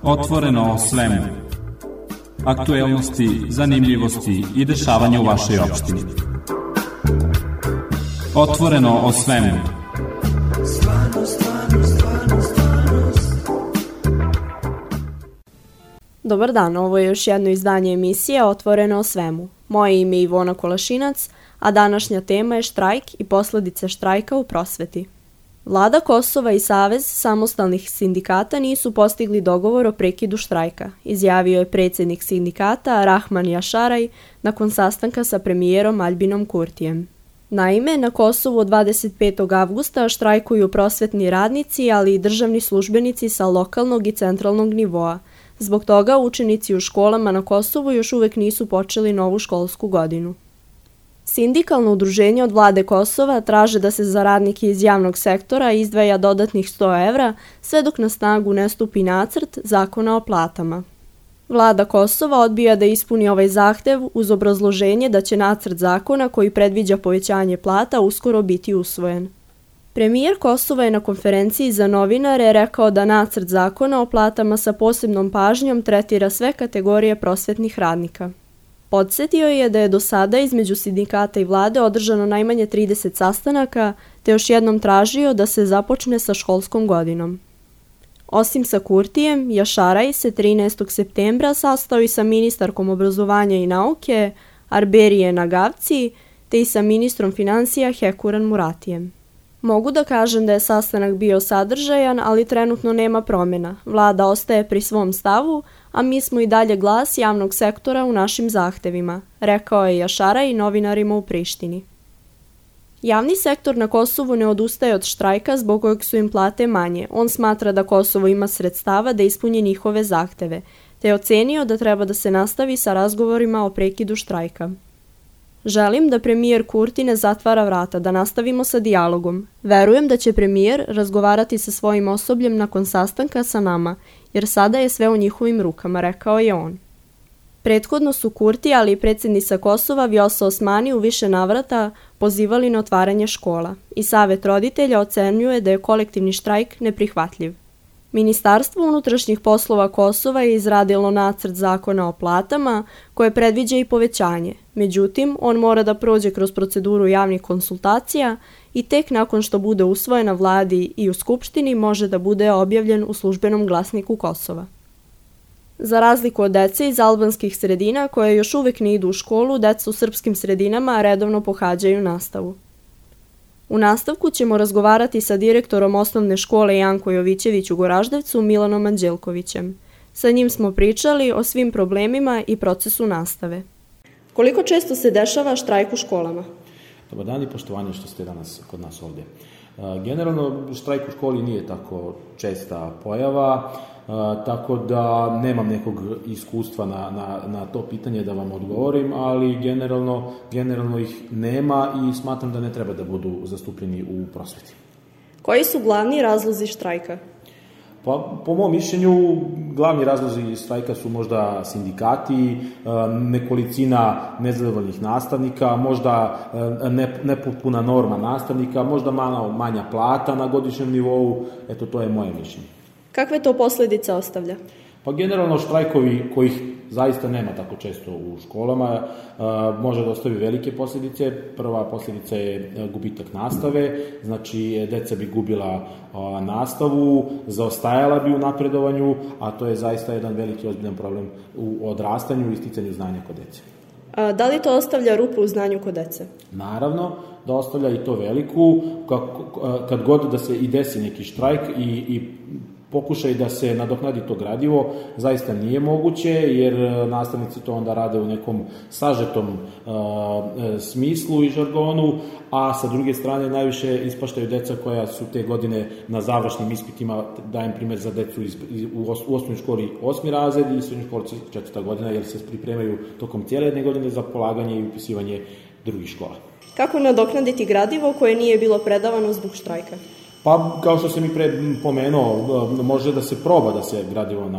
Otvoreno o svemu. Aktuelnosti, zanimljivosti i dešavanja u vašoj opštini. Otvoreno o svemu. Dobar dan, ovo je još jedno izdanje emisije Otvoreno o svemu. Moje ime je Ivona Kolašinac, a današnja tema je štrajk i posledice štrajka u prosveti. Vlada Kosova i Savez samostalnih sindikata nisu postigli dogovor o prekidu štrajka, izjavio je predsjednik sindikata Rahman Jašaraj nakon sastanka sa premijerom Albinom Kurtijem. Naime, na Kosovu od 25. avgusta štrajkuju prosvetni radnici, ali i državni službenici sa lokalnog i centralnog nivoa. Zbog toga učenici u školama na Kosovu još uvijek nisu počeli novu školsku godinu. Sindikalno udruženje od vlade Kosova traže da se za radnike iz javnog sektora izdvaja dodatnih 100 evra sve dok na snagu ne stupi nacrt zakona o platama. Vlada Kosova odbija da ispuni ovaj zahtev uz obrazloženje da će nacrt zakona koji predviđa povećanje plata uskoro biti usvojen. Premijer Kosova je na konferenciji za novinare rekao da nacrt zakona o platama sa posebnom pažnjom tretira sve kategorije prosvetnih radnika. Podsjetio je da je do sada između sindikata i vlade održano najmanje 30 sastanaka, te još jednom tražio da se započne sa školskom godinom. Osim sa Kurtijem, Jašaraj se 13. septembra sastao i sa ministarkom obrazovanja i nauke Arberije Nagavci, te i sa ministrom financija Hekuran Muratijem. Mogu da kažem da je sastanak bio sadržajan, ali trenutno nema promjena. Vlada ostaje pri svom stavu, a mi smo i dalje glas javnog sektora u našim zahtevima, rekao je Jašaraj novinarima u Prištini. Javni sektor na Kosovu ne odustaje od štrajka zbog kojeg su im plate manje. On smatra da Kosovo ima sredstava da ispuni njihove zahteve, te je ocenio da treba da se nastavi sa razgovorima o prekidu štrajka. Želim da premijer Kurti ne zatvara vrata, da nastavimo sa dijalogom. Verujem da će premijer razgovarati sa svojim osobljem nakon sastanka sa nama, jer sada je sve u njihovim rukama, rekao je on. Prethodno su Kurti, ali i predsjednica Kosova Vjosa Osmani u više navrata pozivali na otvaranje škola i Savet roditelja ocenjuje da je kolektivni štrajk neprihvatljiv. Ministarstvo unutrašnjih poslova Kosova je izradilo nacrt zakona o platama koje predviđa i povećanje. Međutim, on mora da prođe kroz proceduru javnih konsultacija i tek nakon što bude usvojen na vladi i u Skupštini može da bude objavljen u službenom glasniku Kosova. Za razliku od dece iz albanskih sredina koje još uvijek ne idu u školu, deca u srpskim sredinama redovno pohađaju nastavu. U nastavku ćemo razgovarati sa direktorom osnovne škole Janko Jovićević u Goraždevcu Milanom Anđelkovićem. Sa njim smo pričali o svim problemima i procesu nastave. Koliko često se dešava štrajk u školama? Dobar dan i poštovanje što ste danas kod nas ovdje. Generalno, štrajk u školi nije tako česta pojava, tako da nemam nekog iskustva na to pitanje da vam odgovorim, ali generalno ih nema i smatram da ne treba da budu zastupljeni u prosveti. Koji su glavni razlozi štrajka? Pa, po mom mišljenju, glavni razlozi štrajka su možda sindikati, nekolicina nezadovoljnih nastavnika, možda nepotpuna norma nastavnika, možda malo manja plata na godišnjem nivou. Eto, to je moje mišljenje. Kakve to posljedice ostavlja? Pa generalno štrajkovi kojih zaista nema tako često u školama može da ostavi velike posljedice. Prva posljedica je gubitak nastave, znači deca bi gubila nastavu, zaostajala bi u napredovanju, a to je zaista jedan veliki ozbiljan problem u odrastanju i sticanju znanja kod dece. Da li to ostavlja rupu u znanju kod dece? Naravno da ostavlja i to veliku, kad god da se i desi neki štrajk i pokušaj da se nadoknadi to gradivo zaista nije moguće, jer nastavnici to onda rade u nekom sažetom smislu i žargonu, a sa druge strane najviše ispaštaju deca koja su te godine na završnim ispitima, dajem primjer za decu u osnovnoj školi 8. razred i srednjoj školi 4. godina, jer se pripremaju tokom cijele jedne godine za polaganje i upisivanje drugih škola. Kako nadoknaditi gradivo koje nije bilo predavano zbog štrajka? Pa, kao što sam i pre pomenuo, može da se proba da se gradivo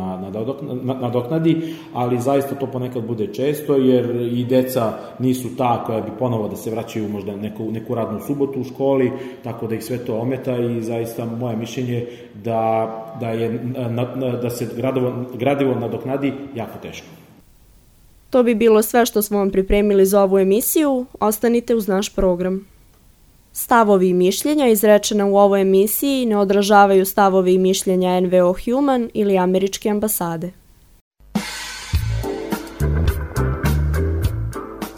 nadoknadi, ali zaista to ponekad bude često, jer i deca nisu ta koja bi ponovo da se vraćaju možda neku radnu subotu u školi, tako da ih sve to ometa i zaista moje mišljenje da se gradivo nadoknadi jako teško. To bi bilo sve što smo vam pripremili za ovu emisiju. Ostanite uz naš program. Stavovi i mišljenja izrečena u ovoj emisiji ne odražavaju stavovi i mišljenja NVO Human ili Američke ambasade.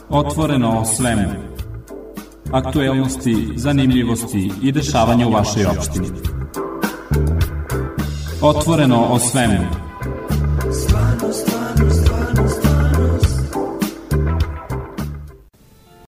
Otvoreno o svemu. Aktuelnosti, zanimljivosti i dešavanja u vašoj opštini. Otvoreno o svemu.